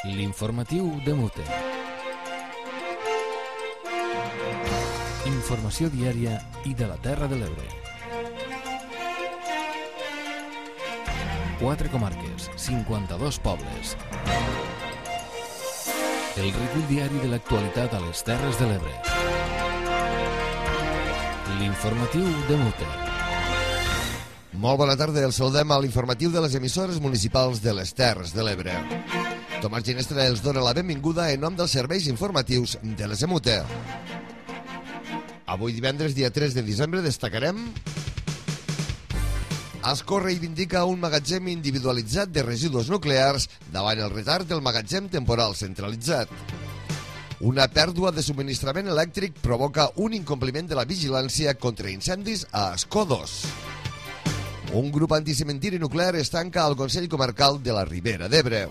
L'informatiu de Mute. Informació diària i de la Terra de l'Ebre. 4 comarques, 52 pobles. El recull diari de l'actualitat a les Terres de l'Ebre. L'informatiu de Mute. Molt bona tarda, el saludem a l'informatiu de les emissores municipals de les Terres de l'Ebre. Tomàs Ginestra els dona la benvinguda en nom dels serveis informatius de les EMUTE. Avui divendres, dia 3 de desembre, destacarem: Ascó reivindica un magatzem individualitzat de residus nuclears davant el retard del magatzem temporal centralitzat. Una pèrdua de subministrament elèctric provoca un incompliment de la vigilància contra incendis a Ascó 2. Un grup anticementiri nuclear es tanca al Consell Comarcal de la Ribera d'Ebre.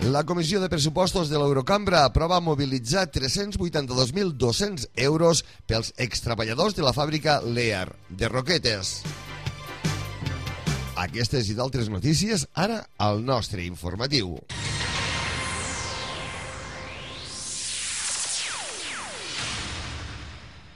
La Comissió de Pressupostos de l'Eurocambra aprova mobilitzar 382.200 euros pels extreballadors de la fàbrica Lear de Roquetes. Aquestes i d'altres notícies ara al nostre informatiu.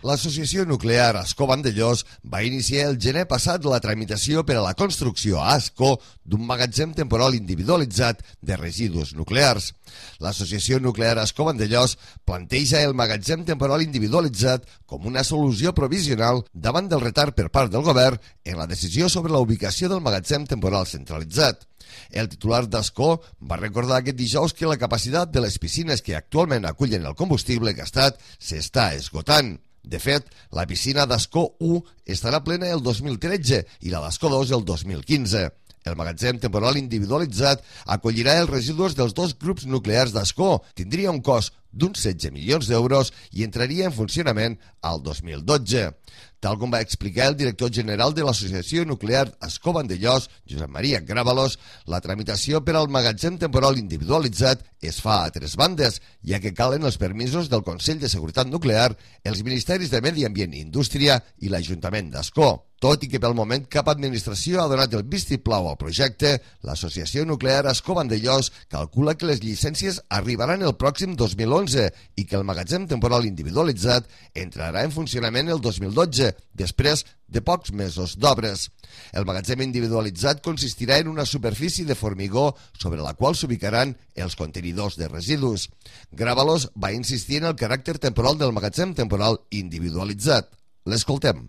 L'Associació Nuclear Ascó Vandellòs va iniciar el gener passat la tramitació per a la construcció a Ascó d'un magatzem temporal individualitzat de residus nuclears. L'Associació Nuclear Ascó Vandellòs planteja el magatzem temporal individualitzat com una solució provisional davant del retard per part del govern en la decisió sobre la ubicació del magatzem temporal centralitzat. El titular d'Ascó va recordar aquest dijous que la capacitat de les piscines que actualment acullen el combustible gastat s'està esgotant. De fet, la piscina d'Ascó 1 estarà plena el 2013 i la d'Ascó 2 el 2015. El magatzem temporal individualitzat acollirà els residus dels dos grups nuclears d'Ascó, tindria un cost d'uns 16 milions d'euros i entraria en funcionament al 2012. Tal com va explicar el director general de l'Associació Nuclear Ascó Vandellòs, Josep Maria Grábalos, la tramitació per al magatzem temporal individualitzat es fa a 3 bandes, ja que calen els permisos del Consell de Seguretat Nuclear, els Ministeris de Medi Ambient i Indústria i l'Ajuntament d'Ascó. Tot i que pel moment cap administració ha donat el vistiplau al projecte, l'Associació Nuclear Ascó Vandellòs calcula que les llicències arribaran el pròxim 2011 i que el magatzem temporal individualitzat entrarà en funcionament el 2012, després de pocs mesos d'obres. El magatzem individualitzat consistirà en una superfície de formigó sobre la qual s'ubicaran els contenidors de residus. Grábalos va insistir en el caràcter temporal del magatzem temporal individualitzat. L'escoltem.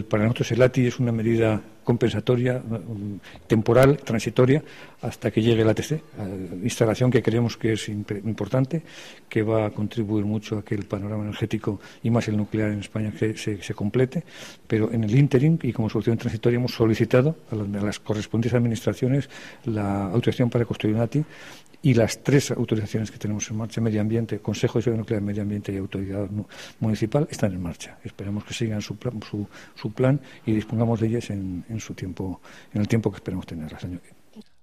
Para nosotros el ATI es una medida compensatoria, temporal, transitoria, hasta que llegue el ATC, instalación que creemos que es importante, que va a contribuir mucho a que el panorama energético y más el nuclear en España se complete, pero en el ínterin y como solución transitoria hemos solicitado a las correspondientes administraciones la autorización para construir un ATI y las 3 autorizaciones que tenemos en marcha, Medio Ambiente, Consejo de Seguridad Nuclear, Medio Ambiente y Autoridad Municipal, están en marcha. Esperemos que sigan su plan y dispongamos de ellas en el tiempo que esperemos tenerlas.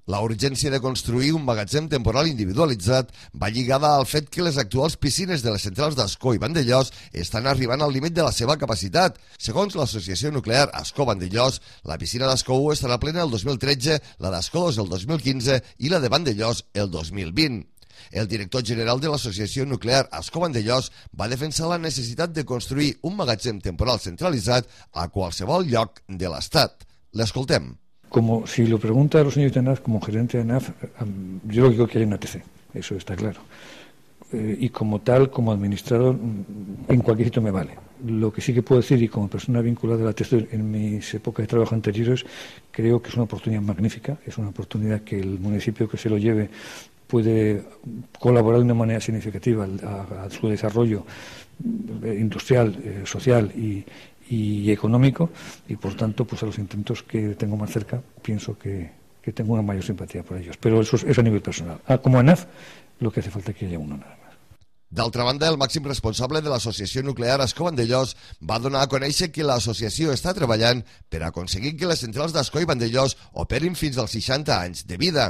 La urgència de construir un magatzem temporal individualitzat va lligada al fet que les actuals piscines de les centrals d'Ascó i Vandellòs estan arribant al límit de la seva capacitat. Segons l'Associació Nuclear Ascó Vandellòs, la piscina d'Ascó 1 estarà plena el 2013, la d'Ascó 2 el 2015 i la de Vandellòs el 2020. El director general de l'Associació Nuclear Ascó Vandellòs va defensar la necessitat de construir un magatzem temporal centralitzat a qualsevol lloc de l'Estat. L'escoltem. Como si lo pregunta a los señores de ANAF, como gerente de ANAF, yo lo que digo que hay un ATC, eso está claro. Y como tal, como administrador, en cualquier sitio me vale. Lo que sí que puedo decir, y como persona vinculada al ATC en mis épocas de trabajo anteriores, creo que es una oportunidad magnífica, es una oportunidad que el municipio que se lo lleve puede colaborar de una manera significativa a su desarrollo industrial, social y económico, y por tanto pues a los intentos que tengo más cerca pienso que tengo una mayor simpatía por ellos, pero eso es a nivel personal. Como ANAF lo que hace falta es que haya uno nada más. D'altra banda, el màxim responsable de l'Associació Nuclear Ascó Vandellòs va donar a conèixer que l'associació està treballant per aconseguir que les centrals d'Ascó i Vandellòs operin fins als 60 anys de vida.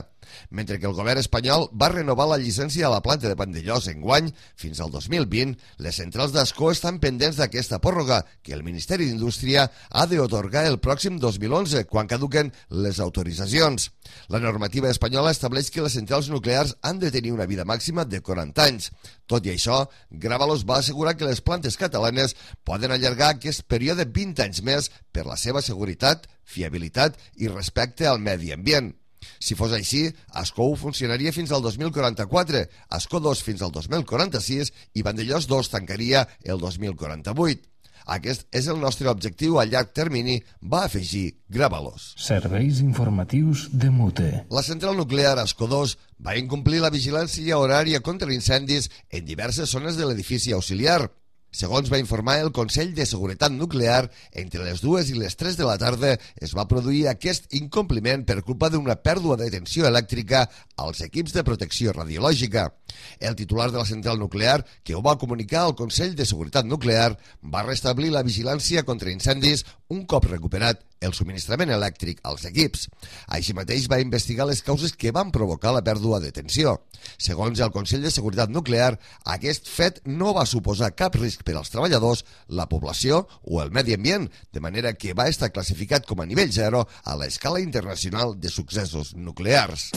Mentre que el govern espanyol va renovar la llicència a la planta de Vandellòs enguany fins al 2020, les centrals d'Ascó estan pendents d'aquesta pròrroga que el Ministeri d'Indústria ha d'atorgar el pròxim 2011, quan caduquen les autoritzacions. La normativa espanyola estableix que les centrals nuclears han de tenir una vida màxima de 40 anys. Tot i això, Grávalos va assegurar que les plantes catalanes poden allargar aquest període 20 anys més per la seva seguretat, fiabilitat i respecte al medi ambient. Si fos així, Ascó funcionaria fins al 2044, Ascó 2 fins al 2046 i Vandellòs 2 tancaria el 2048. Aquest és el nostre objectiu a llarg termini, va afegir Grávalos. Serveis informatius de Mute. La central nuclear Ascó 2 va incomplir la vigilància horària contra incendis en diverses zones de l'edifici auxiliar. Segons va informar el Consell de Seguretat Nuclear, entre les 2 i les 3 de la tarda es va produir aquest incompliment per culpa d'una pèrdua de tensió elèctrica als equips de protecció radiològica. El titular de la central nuclear, que ho va comunicar al Consell de Seguretat Nuclear, va restablir la vigilància contra incendis un cop recuperat el subministrament elèctric als equips. Així mateix va investigar les causes que van provocar la pèrdua de tensió. Segons el Consell de Seguretat Nuclear, aquest fet no va suposar cap risc per als treballadors, la població o el medi ambient, de manera que va estar classificat com a nivell 0 a l'escala internacional de successos nuclears.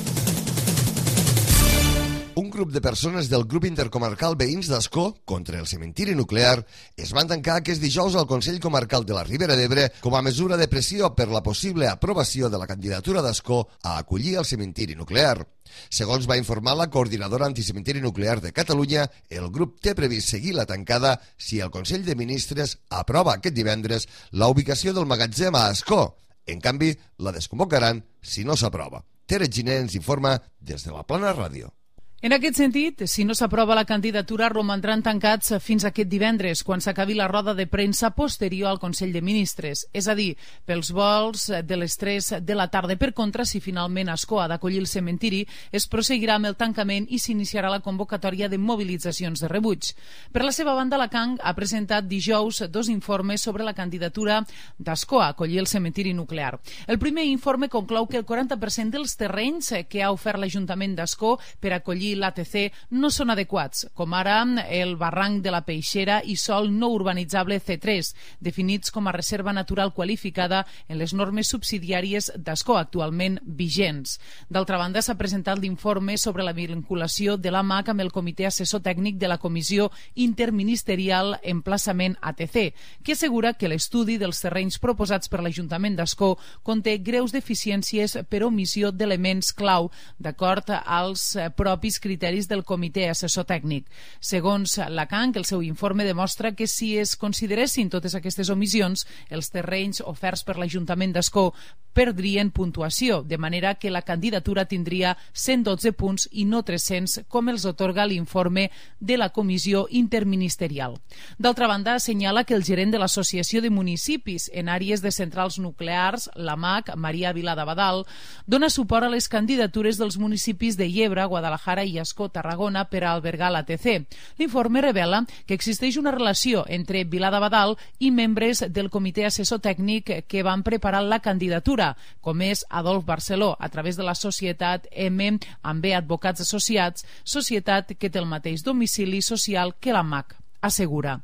Un grup de persones del grup intercomarcal Veïns d'Ascó contra el cementiri nuclear es van tancar aquest dijous al Consell Comarcal de la Ribera d'Ebre com a mesura de pressió per la possible aprovació de la candidatura d'Ascó a acollir el cementiri nuclear. Segons va informar la coordinadora anticementiri nuclear de Catalunya, el grup té previst seguir la tancada si el Consell de Ministres aprova aquest divendres la ubicació del magatzem a Ascó. En canvi, la desconvocaran si no s'aprova. Tere Giner ens informa des de la Plana Ràdio. En aquest sentit, si no s'aprova la candidatura, romandran tancats fins aquest divendres, quan s'acabi la roda de premsa posterior al Consell de Ministres. És a dir, pels vols de les 3 de la tarda. Per contra, si finalment Ascó ha d'acollir el cementiri, es proseguirà amb el tancament i s'iniciarà la convocatòria de mobilitzacions de rebuig. Per la seva banda, la CANG ha presentat dijous 2 informes sobre la candidatura d'Ascó a acollir el cementiri nuclear. El primer informe conclou que el 40% dels terrenys que ha ofert l'Ajuntament d'Ascó per acollir l'ATC no són adequats, com ara el barranc de la Peixera i sòl no urbanitzable C3, definits com a reserva natural qualificada en les normes subsidiàries d'Ascó actualment vigents. D'altra banda, s'ha presentat l'informe sobre la vinculació de l'AMAC amb el Comitè Assessor Tècnic de la Comissió Interministerial Emplaçament ATC, que assegura que l'estudi dels terrenys proposats per l'Ajuntament d'Ascó conté greus deficiències per omissió d'elements clau, d'acord als propis criteris del Comitè Assessor Tècnic. Segons la CANG, el seu informe demostra que si es consideressin totes aquestes omissions, els terrenys oferts per l'Ajuntament d'Ascó perdrien puntuació, de manera que la candidatura tindria 112 punts i no 300, com els atorga l'informe de la Comissió Interministerial. D'altra banda, assenyala que el gerent de l'Associació de Municipis en àrees de centrals nuclears, l'AMAC, Maria Vilà d'Abadal, dona suport a les candidatures dels municipis de Llebre, Guadalajara i Ascó, Tarragona, per a albergar l'ATC. L'informe revela que existeix una relació entre Vilà d'Abadal i membres del Comitè Assessor Tècnic que van preparar la candidatura, com és Adolf Barceló, a través de la societat M amb B Advocats Associats, societat que té el mateix domicili social que l'AMAC, assegura.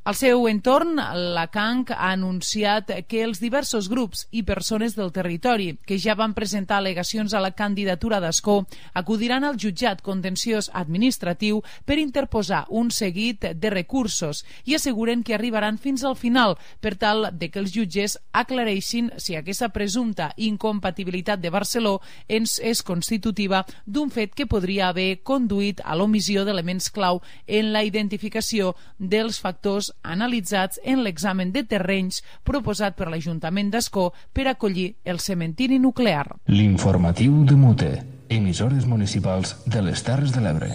Al seu entorn, la CANG ha anunciat que els diversos grups i persones del territori que ja van presentar al·legacions a la candidatura d'Ascó acudiran al jutjat contenciós administratiu per interposar un seguit de recursos i asseguren que arribaran fins al final per tal de que els jutges aclareixin si aquesta presumpta incompatibilitat de Barceló és constitutiva d'un fet que podria haver conduït a l'omissió d'elements clau en la identificació dels factors analitzats en l'examen de terrenys proposat per l'Ajuntament d'Ascó per acollir el cementiri nuclear. L'informatiu de Mute, emissores municipals de les Terres de l'Ebre.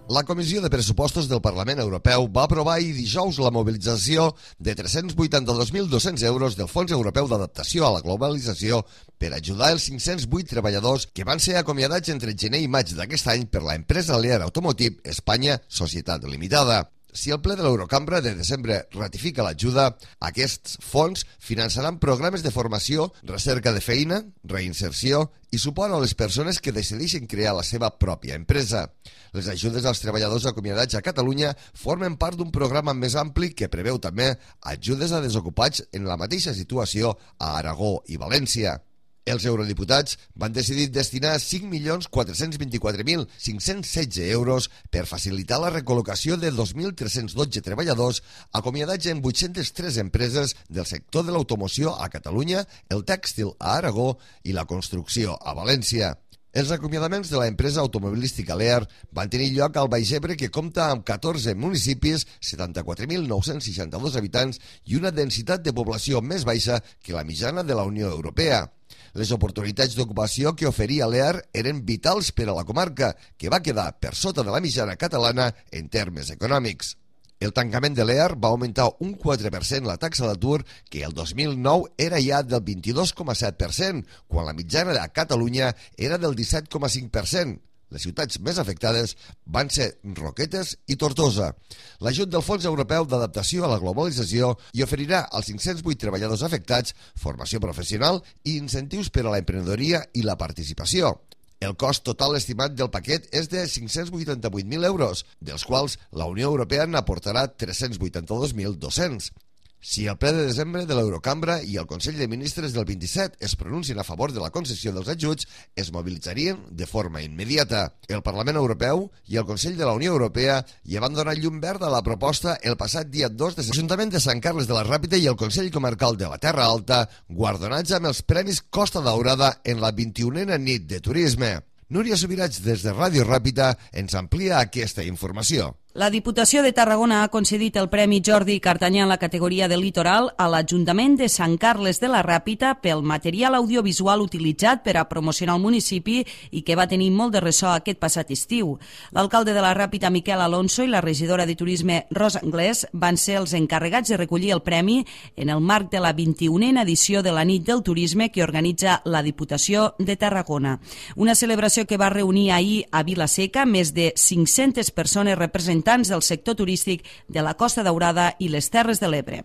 La Comissió de Pressupostos del Parlament Europeu va aprovar ahir dijous la mobilització de 382.200 euros del Fons Europeu d'Adaptació a la Globalització per ajudar els 508 treballadors que van ser acomiadats entre gener i maig d'aquest any per l'empresa Lear Automotive Espanya Societat Limitada. Si el ple de l'Eurocambra de desembre ratifica l'ajuda, aquests fons finançaran programes de formació, recerca de feina, reinserció i suport a les persones que decideixen crear la seva pròpia empresa. Les ajudes als treballadors acomiadats a Catalunya formen part d'un programa més ampli que preveu també ajudes a desocupats en la mateixa situació a Aragó i València. Els eurodiputats van decidir destinar 5.424.516 euros per facilitar la recol·locació de 2.312 treballadors acomiadats en 803 empreses del sector de l'automoció a Catalunya, el tèxtil a Aragó i la construcció a València. Els acomiadaments de l'empresa automobilística Lear van tenir lloc al Baix Ebre, que compta amb 14 municipis, 74.962 habitants i una densitat de població més baixa que la mitjana de la Unió Europea. Les oportunitats d'ocupació que oferia Lear eren vitals per a la comarca, que va quedar per sota de la mitjana catalana en termes econòmics. El tancament de Lear va augmentar un 4% la taxa d'atur, que el 2009 era ja del 22,7%, quan la mitjana a Catalunya era del 17,5%. Les ciutats més afectades van ser Roquetes i Tortosa. L'ajut del Fons Europeu d'Adaptació a la Globalització hi oferirà als 508 treballadors afectats formació professional i incentius per a l'emprenedoria i la participació. El cost total estimat del paquet és de 588.000 euros, dels quals la Unió Europea n'aportarà 382.200. Si el ple de desembre de l'Eurocambra i el Consell de Ministres del 27 es pronuncien a favor de la concessió dels ajuts, es mobilitzarien de forma immediata. El Parlament Europeu i el Consell de la Unió Europea ja van donar llum verda a la proposta el passat dia 2 de l'Ajuntament de Sant Carles de la Ràpita i el Consell Comarcal de la Terra Alta, guardonats amb els Premis Costa Daurada en la 21a nit de turisme. Núria Subirats, des de Ràdio Ràpita, ens amplia aquesta informació. La Diputació de Tarragona ha concedit el Premi Jordi Cartanyà en la categoria de litoral a l'Ajuntament de Sant Carles de la Ràpita pel material audiovisual utilitzat per a promocionar el municipi i que va tenir molt de ressò aquest passat estiu. L'alcalde de la Ràpita, Miquel Alonso, i la regidora de Turisme, Rosa Anglès, van ser els encarregats de recollir el premi en el marc de la 21a edició de la Nit del Turisme que organitza la Diputació de Tarragona. Una celebració que va reunir ahir a Vila-seca més de 500 persones representants del sector turístic de la Costa Daurada i les Terres de l'Ebre.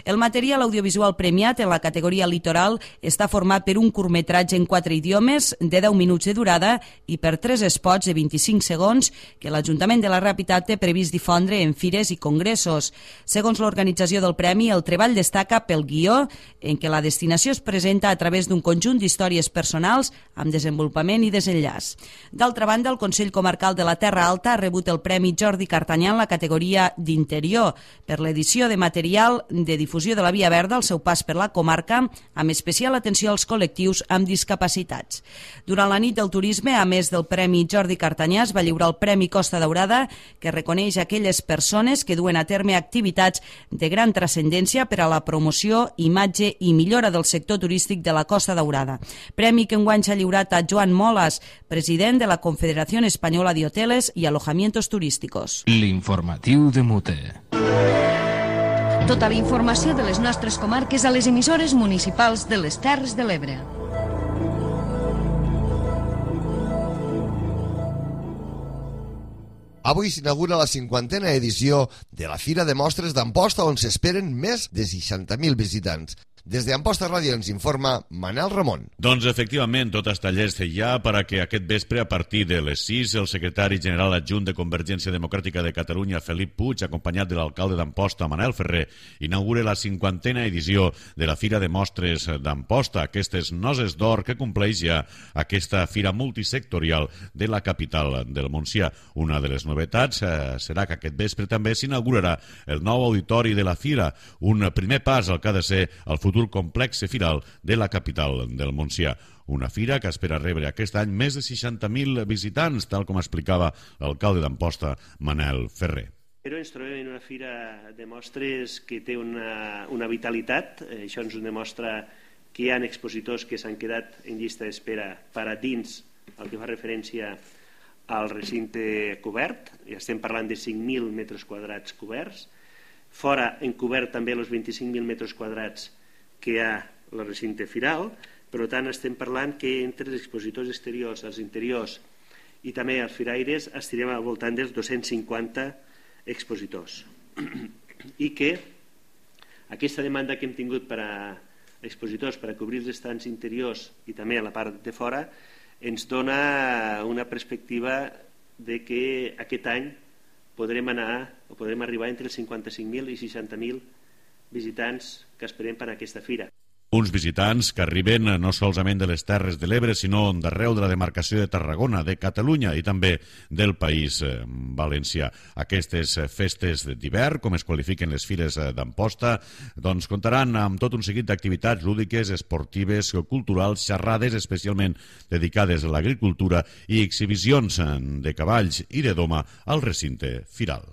El material audiovisual premiat en la categoria litoral està format per un curtmetratge en 4 idiomes de 10 minuts de durada i per 3 spots de 25 segons que l'Ajuntament de la Ràpita té previst difondre en fires i congressos. Segons l'organització del premi, el treball destaca pel guió, en què la destinació es presenta a través d'un conjunt d'històries personals amb desenvolupament i desenllaç. D'altra banda, el Consell Comarcal de la Terra Alta ha rebut el Premi Jordi Cartanyà en la categoria d'interior per l'edició de material de difusió de la Via Verda al seu pas per la comarca, amb especial atenció als col·lectius amb discapacitats. Durant la nit del turisme, a més del Premi Jordi Cartanyà, es va lliurar el Premi Costa Daurada, que reconeix aquelles persones que duen a terme activitats de gran transcendència per a la promoció, imatge i millora del sector turístic de la Costa Daurada. Premi que enguany s'ha lliurat a Joan Molas, president de la Confederación Española de Hoteles y Alojamientos Turísticos. L'informatiu de Mute. Tota la informació de les nostres comarques a les emissores municipals de les Terres de l'Ebre. Avui s'inaugura la 50a edició de la Fira de Mostres d'Amposta, on s'esperen més de 60.000 visitants. Des d'Amposta Ràdio ens informa Manel Ramon. Doncs efectivament, tot està llest ja per a que aquest vespre, a partir de les 6, el secretari general adjunt de Convergència Democràtica de Catalunya, Felip Puig, acompanyat de l'alcalde d'Amposta, Manel Ferrer, inaugure la 50a edició de la Fira de Mostres d'Amposta, aquestes noces d'or que compleix ja aquesta fira multisectorial de la capital del Montsià. Una de les novetats serà que aquest vespre també s'inaugurarà el nou auditori de la fira, un primer pas al que ha de ser el futur complex firal de la capital del Montsià. Una fira que espera rebre aquest any més de 60.000 visitants, tal com explicava l'alcalde d'Amposta, Manel Ferrer. Però ens trobem en una fira de mostres que té una vitalitat. Això ens ho demostra que hi ha expositors que s'han quedat en llista d'espera per a dins el que fa referència al recinte cobert. Ja estem parlant de 5.000 metres quadrats coberts. Fora, encobert també els 25.000 metres quadrats que hi ha el recinte firal. Per tant, estem parlant que entre els expositors exteriors, els interiors i també els firaires estirem al voltant dels 250 expositors. i que aquesta demanda que hem tingut per a expositors per a cobrir els estants interiors i també a la part de fora ens dona una perspectiva de que aquest any podrem arribar entre els 55.000 i 60.000 visitants que esperem per a aquesta fira. Uns visitants que arriben no solament de les Terres de l'Ebre, sinó d'arreu de la demarcació de Tarragona, de Catalunya i també del País Valencià. Aquestes festes d'hivern, com es qualifiquen les fires d'Amposta, doncs comptaran amb tot un seguit d'activitats lúdiques, esportives, culturals, xerrades especialment dedicades a l'agricultura i exhibicions de cavalls i de doma al recinte firal.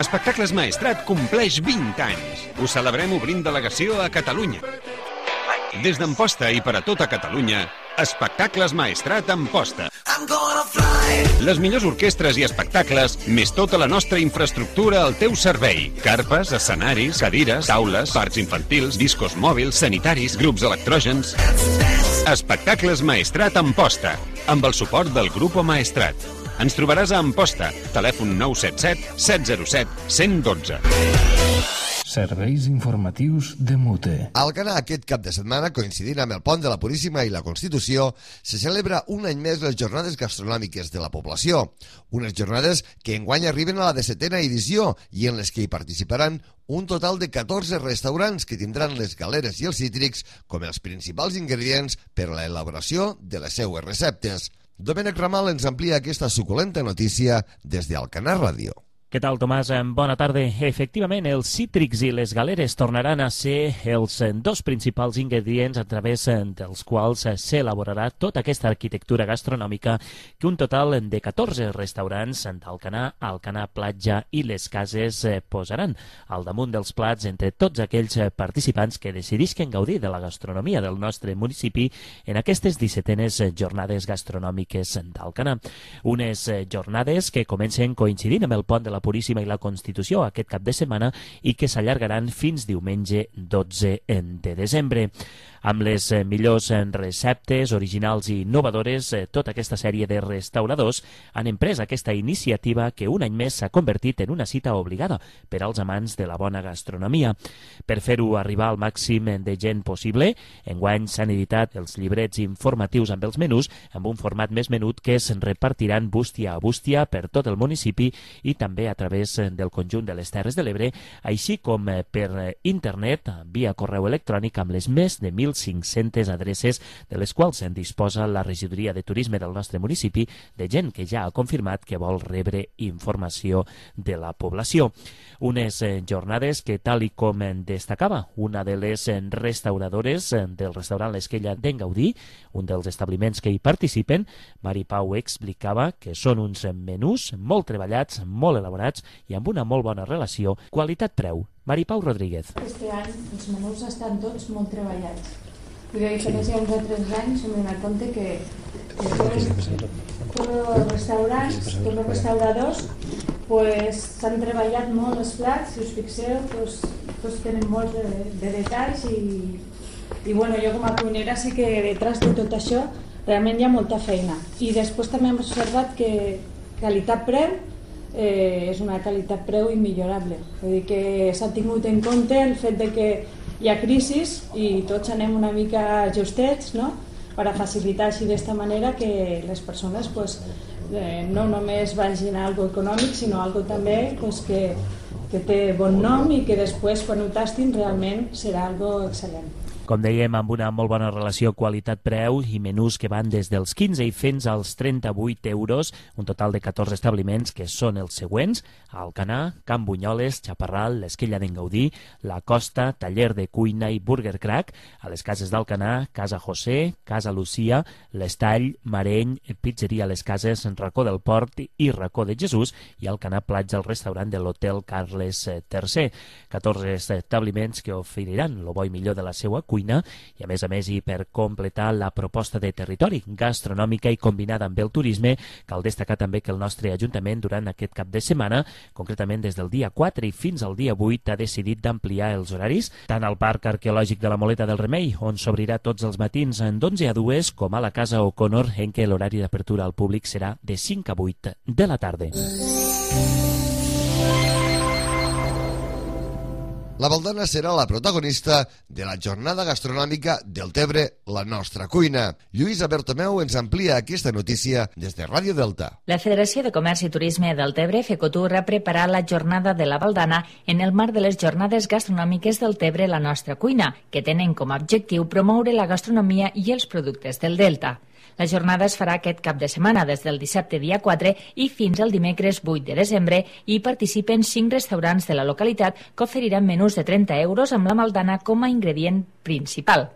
Espectacles Maestrat compleix 20 anys. Ho celebrem obrint delegació a Catalunya. Des d'Amposta i per a tota Catalunya, Espectacles Maestrat Amposta. Les millors orquestres i espectacles, més tota la nostra infraestructura al teu servei. Carpes, escenaris, cadires, taules, parcs infantils, discos mòbils, sanitaris, grups electrògens. Espectacles Maestrat Amposta, amb el suport del Grupo Maestrat. Ens trobaràs a Amposta, telèfon 977 707 112. Serveis informatius de Mute. A Alcanar aquest cap de setmana, coincidint amb el Pont de la Puríssima i la Constitució, se celebra un any més les jornades gastronòmiques de la població. Unes jornades que enguany arriben a la 17a edició i en les que hi participaran un total de 14 restaurants que tindran les galeres i els cítrics com els principals ingredients per a l'elaboració de les seues receptes. Domènec Ramal ens amplia aquesta suculenta notícia des d'Alcanar Ràdio. Què tal, Tomàs? Bona tarda. Efectivament, els cítrics i les galeres tornaran a ser els dos principals ingredients a través dels quals s'elaborarà tota aquesta arquitectura gastronòmica que un total de 14 restaurants d'Alcanar, Alcanar Platja i les Cases posaran al damunt dels plats entre tots aquells participants que decidisquen gaudir de la gastronomia del nostre municipi en aquestes 17enes jornades gastronòmiques d'Alcanar. Unes jornades que comencen coincidint amb el Pont de la Puríssima i la Constitució aquest cap de setmana i que s'allargaran fins diumenge 12 de desembre. Amb les millors receptes originals i innovadores, tota aquesta sèrie de restauradors han emprès aquesta iniciativa que un any més s'ha convertit en una cita obligada per als amants de la bona gastronomia. Per fer-ho arribar al màxim de gent possible, enguany s'han editat els llibrets informatius amb els menús amb un format més menut que es repartiran bústia a bústia per tot el municipi i també a través del conjunt de les Terres de l'Ebre, així com per internet, via correu electrònic amb les més de 1.500 adreces de les quals se'n disposa la regidoria de turisme del nostre municipi de gent que ja ha confirmat que vol rebre informació de la població. Unes jornades que, tal i com destacava una de les restauradores del restaurant L'Esquella d'en Gaudí, un dels establiments que hi participen, Mari Pau explicava que són uns menús molt treballats, molt elaborats i amb una molt bona relació qualitat-preu. Mari Pau Rodríguez. Este any els menús estan tots molt treballats. I a diferència d'uns altres anys hem donat compte que tots els restaurants, tots els restauradors s'han treballat molt els plats, si us fixeu, tots tenen molts de detalls i bueno, jo com a cuinera sé que detrás de tot això realment hi ha molta feina. I després també hem observat que qualitat-preu és una qualitat-preu immillorable. Vull dir que s'ha tingut en compte el fet de que hi ha crisis i tots anem una mica justets, no?, per a facilitar així d'esta manera que les persones no només vagin a algo econòmic, sinó a algo també que té bon nom i que després, quan ho tastin, realment serà algo excel·lent. Com dèiem, amb una molt bona relació qualitat-preu i menús que van des dels 15 i fins als 38 euros, un total de 14 establiments que són els següents: Alcanar, Can Bunyoles, Chaparral, l'Esquella d'en Gaudí, La Costa, Taller de Cuina i Burger Crack, a les Cases d'Alcanar, Casa José, Casa Lucía, l'Estall, Mareny, Pizzeria Les Cases, Racó del Port i Racó de Jesús, i Alcanar Platja, el restaurant de l'Hotel Carles III. 14 establiments que oferiran lo bo i millor de la seva cuina i, a més, i per completar la proposta de territori gastronòmica i combinada amb el turisme, cal destacar també que el nostre Ajuntament durant aquest cap de setmana, concretament des del dia 4 i fins al dia 8, ha decidit d'ampliar els horaris, tant al Parc Arqueològic de la Moleta del Remei, on s'obrirà tots els matins d'11 a 2, com a la Casa O'Connor, en què l'horari d'apertura al públic serà de 5 a 8 de la tarda. La Valdana serà la protagonista de la jornada gastronòmica del Tebre, la nostra cuina. Lluïsa Bertomeu ens amplia aquesta notícia des de Ràdio Delta. La Federació de Comerç i Turisme del Tebre, FECOTUR, ha preparat la jornada de la Valdana en el marc de les jornades gastronòmiques del Tebre, la nostra cuina, que tenen com a objectiu promoure la gastronomia i els productes del Delta. La jornada es farà aquest cap de setmana, des del dissabte dia 4 i fins al dimecres 8 de desembre, i hi participen 5 restaurants de la localitat que oferiran menús de 30 euros amb la Valdana com a ingredient principal.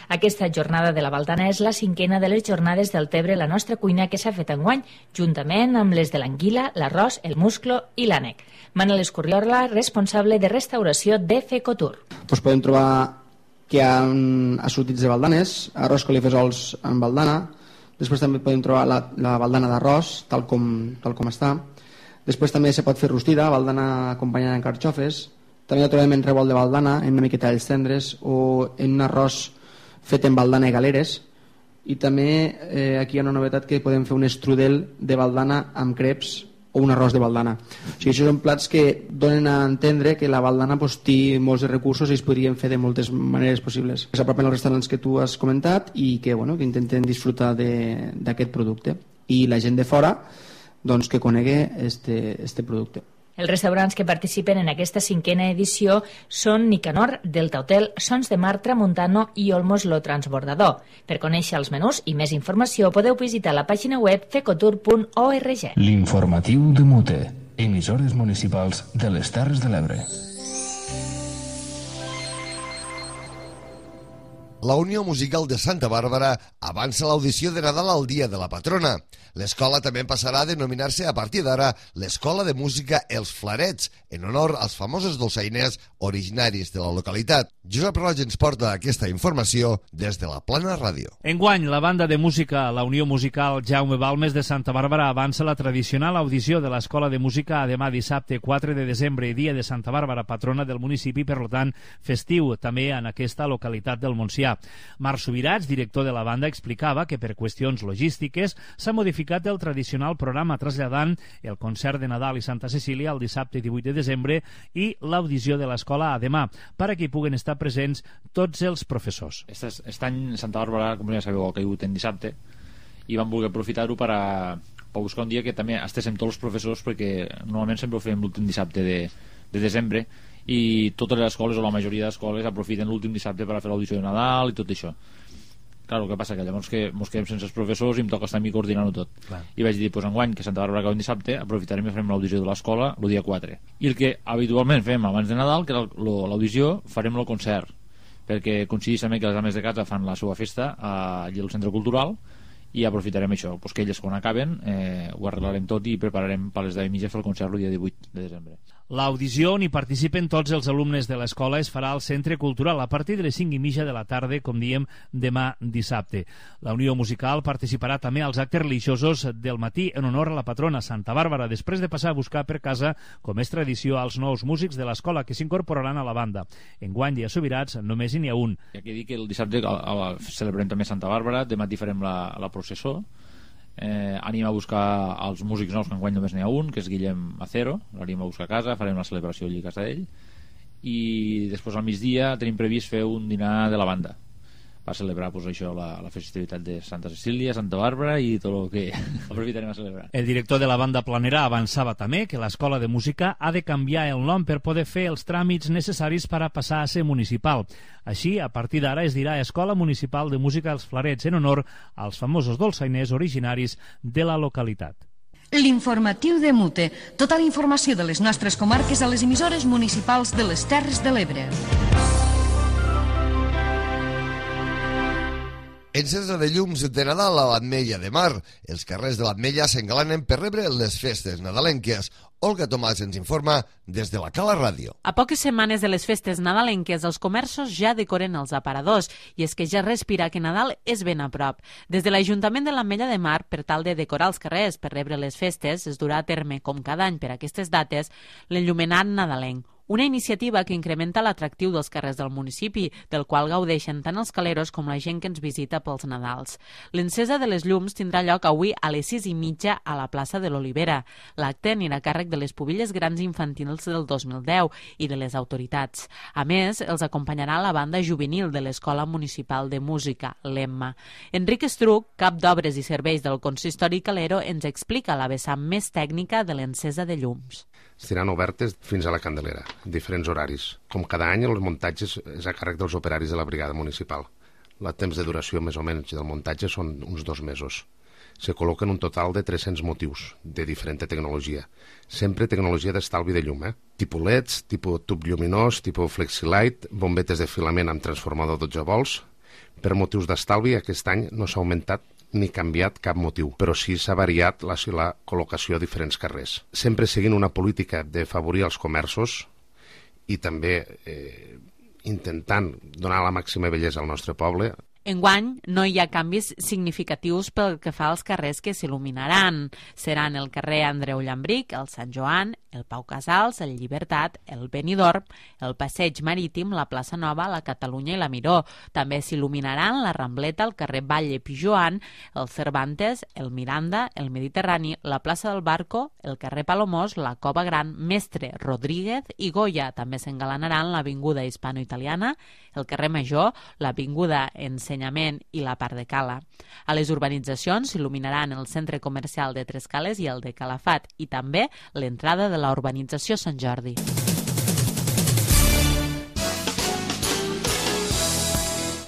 Aquesta jornada de la Valdana és la 5a de les jornades del Tebre, la nostra cuina, que s'ha fet enguany, juntament amb les de l'anguila, l'arròs, el musclo i l'ànec. Manel Escurriorla, responsable de restauració de FECOTUR. Podem trobar que hi ha assortits de baldanes, arròs colifesols amb baldana. Després també podem trobar la baldana d'arròs, tal com està. Després també se pot fer rostida, baldana acompanyada en carxofes. També la trobem en revolt de baldana, en una miqueta d'alls tendres, o en un arròs fet en baldana i galeres. I també aquí hi ha una novetat, que podem fer un estrudel de baldana amb creps o un arròs de baldana. O sigui, això són plats que donen a entendre que la baldana té molts recursos i es podrien fer de moltes maneres possibles. S'apropen als restaurants que tu has comentat i que intenten disfrutar d'aquest producte. I la gent de fora que conegui este producte. Els restaurants que participen en aquesta 5a edició són Nicanor, Delta Hotel, Sons de Mar, Tramuntano i Olmos Lo Transbordador. Per conèixer els menús i més informació podeu visitar la pàgina web fecotur.org. L'informatiu de Mute, emissores municipals de les Terres de l'Ebre. La Unió Musical de Santa Bàrbara avança l'audició de Nadal al Dia de la Patrona. L'escola també passarà a denominar-se a partir d'ara l'Escola de Música Els Flarets, en honor als famosos dolçainers originaris de la localitat. Josep Roig ens porta aquesta informació des de la Plana Ràdio. Enguany, la banda de música, la Unió Musical Jaume Balmes de Santa Bàrbara, avança la tradicional audició de l'Escola de Música a demà dissabte 4 de desembre, dia de Santa Bàrbara, patrona del municipi, per tant, festiu també en aquesta localitat del Montsià. Marc Subirats, director de la banda, explicava que per qüestions logístiques s'ha modificat el tradicional programa, traslladant el concert de Nadal i Santa Cecília el dissabte 18 de desembre i l'audició de l'escola a demà, perquè hi puguen estar presents tots els professors. Aquest any Santa Bàrbara, com ja sabeu, ha caigut en dissabte i vam voler aprofitar-ho per buscar un dia que també estéssim tots els professors, perquè normalment sempre ho fem l'últim dissabte de desembre, i totes les escoles o la majoria d'escoles aprofiten l'últim dissabte per a fer l'audició de Nadal i tot això. Clar, el que passa que llavors que mos quedem sense els professors i em toca estar a mi coordinant-ho tot. Clar. I vaig dir, enguany, que Santa Bàrbara cau un dissabte, aprofitarem i farem l'audició de l'escola el dia 4. I el que habitualment fem abans de Nadal, que era l'audició, farem el concert, perquè coincideix també que les dames de casa fan la seva festa allà al centre cultural, i aprofitarem això, que elles quan acaben ho arreglarem tot i prepararem per les 10:30 fer el concert el dia 18 de desembre. L'audició on hi participen tots els alumnes de l'escola es farà al Centre Cultural a partir de les 5:30 de la tarda, com diem, demà dissabte. La Unió Musical participarà també als actes religiosos del matí en honor a la patrona Santa Bàrbara, després de passar a buscar per casa, com és tradició, als nous músics de l'escola que s'incorporaran a la banda. Enguany i a Subirats només n'hi ha un. I aquí dic que el dissabte celebrem també Santa Bàrbara, demà farem la processó. Anem a buscar els músics nous, que enguany només n'hi ha un, que és Guillem Acero, l'anem a buscar a casa, farem la celebració allà a casa d'ell, i després al migdia tenim previst fer un dinar de la banda per celebrar això, la festivitat de Santa Cecília, Santa Bàrbara i tot el que aprofitarem a celebrar. El director de la banda Planera avançava també que l'escola de música ha de canviar el nom per poder fer els tràmits necessaris per a passar a ser municipal. Així, a partir d'ara es dirà Escola Municipal de Música Els Flarets, en honor als famosos dolçainers originaris de la localitat. L'informatiu de Mute. Tota la informació de les nostres comarques a les emissores municipals de les Terres de l'Ebre. Encesa de llums de Nadal a l'Ametlla de Mar. Els carrers de l'Ametlla s'engalanen per rebre les festes nadalenques. Olga Tomàs ens informa des de la Cala Ràdio. A poques setmanes de les festes nadalenques, els comerços ja decoren els aparadors, i és que ja respira que Nadal és ben a prop. Des de l'Ajuntament de l'Ametlla de Mar, per tal de decorar els carrers per rebre les festes, es durà a terme, com cada any per aquestes dates, l'enllumenat nadalenc. Una iniciativa que incrementa l'atractiu dels carrers del municipi, del qual gaudeixen tant els caleros com la gent que ens visita pels Nadals. L'encesa de les llums tindrà lloc avui a les 6:30 a la plaça de l'Olivera. L'acte anirà a càrrec de les pubilles grans infantils del 2010 i de les autoritats. A més, els acompanyarà la banda juvenil de l'Escola Municipal de Música, l'EMMA. Enric Estruc, cap d'obres i serveis del consistori calero, ens explica la vessant més tècnica de l'encesa de llums. Estaran obertes fins a la Candelera, en diferents horaris. Com cada any, els muntatges és a càrrec dels operaris de la brigada municipal. El temps de duració més o menys del muntatge són uns 2 mesos. Se col·loquen un total de 300 motius de diferent tecnologia. Sempre tecnologia d'estalvi de llum, tipus LEDs, tipus tub lluminós, tipus FlexiLight, bombetes de filament amb transformador 12 volts. Per motius d'estalvi, aquest any no s'ha augmentat ni canviat cap motiu, però sí s'ha variat la col·locació a diferents carrers. Sempre seguint una política d'afavorir els comerços i també intentant donar la màxima bellesa al nostre poble. Enguany no hi ha canvis significatius pel que fa als carrers que s'il·luminaran. Seran el carrer Andreu Llambric, el Sant Joan, el Pau Casals, el Llibertat, el Benidorm, el Passeig Marítim, la Plaça Nova, la Catalunya i la Miró. També s'il·luminaran la Rambleta, el carrer Batlle Pijoan, el Cervantes, el Miranda, el Mediterrani, la plaça del Barco, el carrer Palomós, la Cova Gran, Mestre, Rodríguez i Goya. També s'engalanaran l'avinguda Hispano-Italiana, el carrer Major, l'avinguda Ensenyament i la part de Cala. A les urbanitzacions s'il·luminaran el centre comercial de Tres Cales i el de Calafat i també l'entrada de la urbanització Sant Jordi.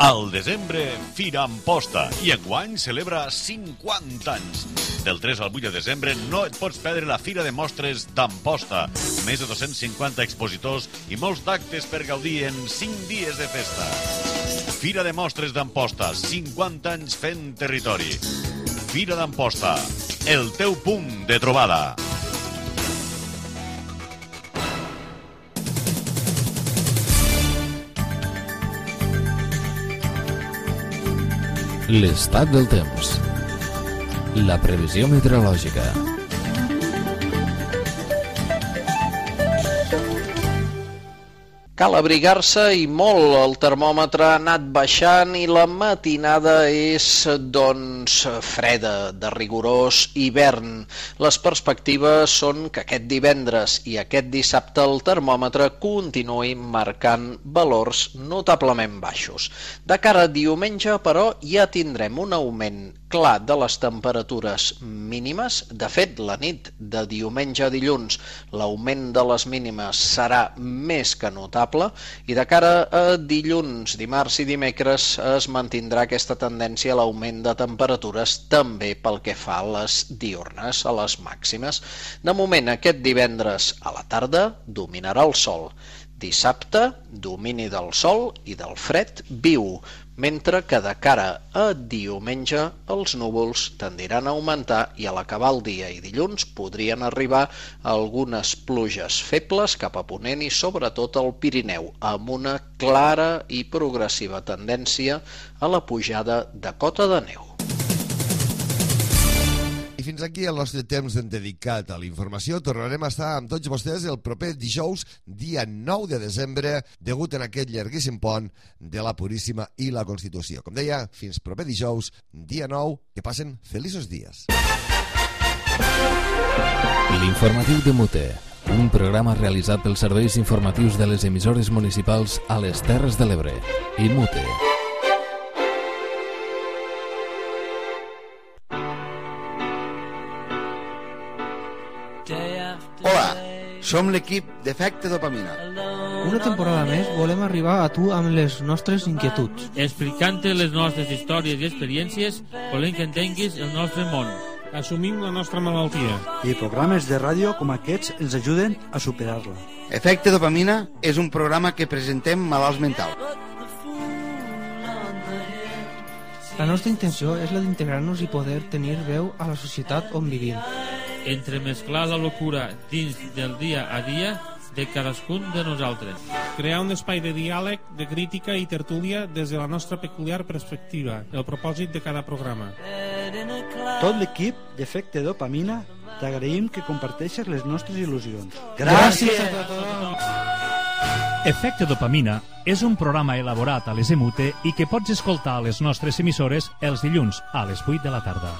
Al desembre, Fira Amposta, i enguany celebra 50 anys. Del 3 al 8 de desembre no et pots perdre la Fira de Mostres d'Amposta. Més de 250 expositors i molts d'actes per gaudir en 5 dies de festa. Fira de Mostres d'Amposta, 50 anys fent territori. Fira d'Amposta, el teu punt de trobada. L'estat del temps. La previsió meteorològica. Cal abrigar-se i molt. El termòmetre ha anat baixant i la matinada és, doncs, freda, de rigorós hivern. Les perspectives són que aquest divendres i aquest dissabte el termòmetre continuï marcant valors notablement baixos. De cara a diumenge, però, ja tindrem un augment clar de les temperatures mínimes. De fet, la nit de diumenge a dilluns l'augment de les mínimes serà més que notable, i de cara a dilluns, dimarts i dimecres es mantindrà aquesta tendència a l'augment de temperatures també pel que fa a les diürnes, a les màximes. De moment, aquest divendres a la tarda dominarà el sol. Dissabte, domini del sol i del fred viu, mentre que de cara a diumenge els núvols tendiran a augmentar i a l'acabar el dia i dilluns podrien arribar algunes pluges febles cap a ponent i sobretot al Pirineu, amb una clara i progressiva tendència a la pujada de cota de neu. I fins aquí el nostre temps dedicat a la informació. Tornarem a estar amb tots vostès el proper dijous, dia 9 de desembre, degut en aquest llarguíssim pont de la Puríssima i la Constitució. Com deia, fins proper dijous, dia 9, que passen feliços dies. L'informatiu de Mute, un programa realitzat pels serveis informatius de les emissores municipals a les Terres de l'Ebre i Mute. Hola, som l'equip d'Efecte Dopamina. Una temporada més volem arribar a tu amb les nostres inquietuds. Explicant-te les nostres històries i experiències, volem que entenguis el nostre món. Assumim la nostra malaltia. I programes de ràdio com aquests ens ajuden a superar-la. Efecte Dopamina és un programa que presentem malalts mentals. La nostra intenció és la d'integrar-nos i poder tenir veu a la societat on vivim. entremesclar la locura dins del dia a dia de cadascun de nosaltres. Crear un espai de diàleg, de crítica i tertúlia des de la nostra peculiar perspectiva, el propòsit de cada programa. Tot l'equip d'Efecte Dopamina t'agraïm que comparteixes les nostres il·lusions. Gràcies a tothom! Efecte Dopamina és un programa elaborat a les EMUTE i que pots escoltar a les nostres emissores els dilluns a les 8 de la tarda.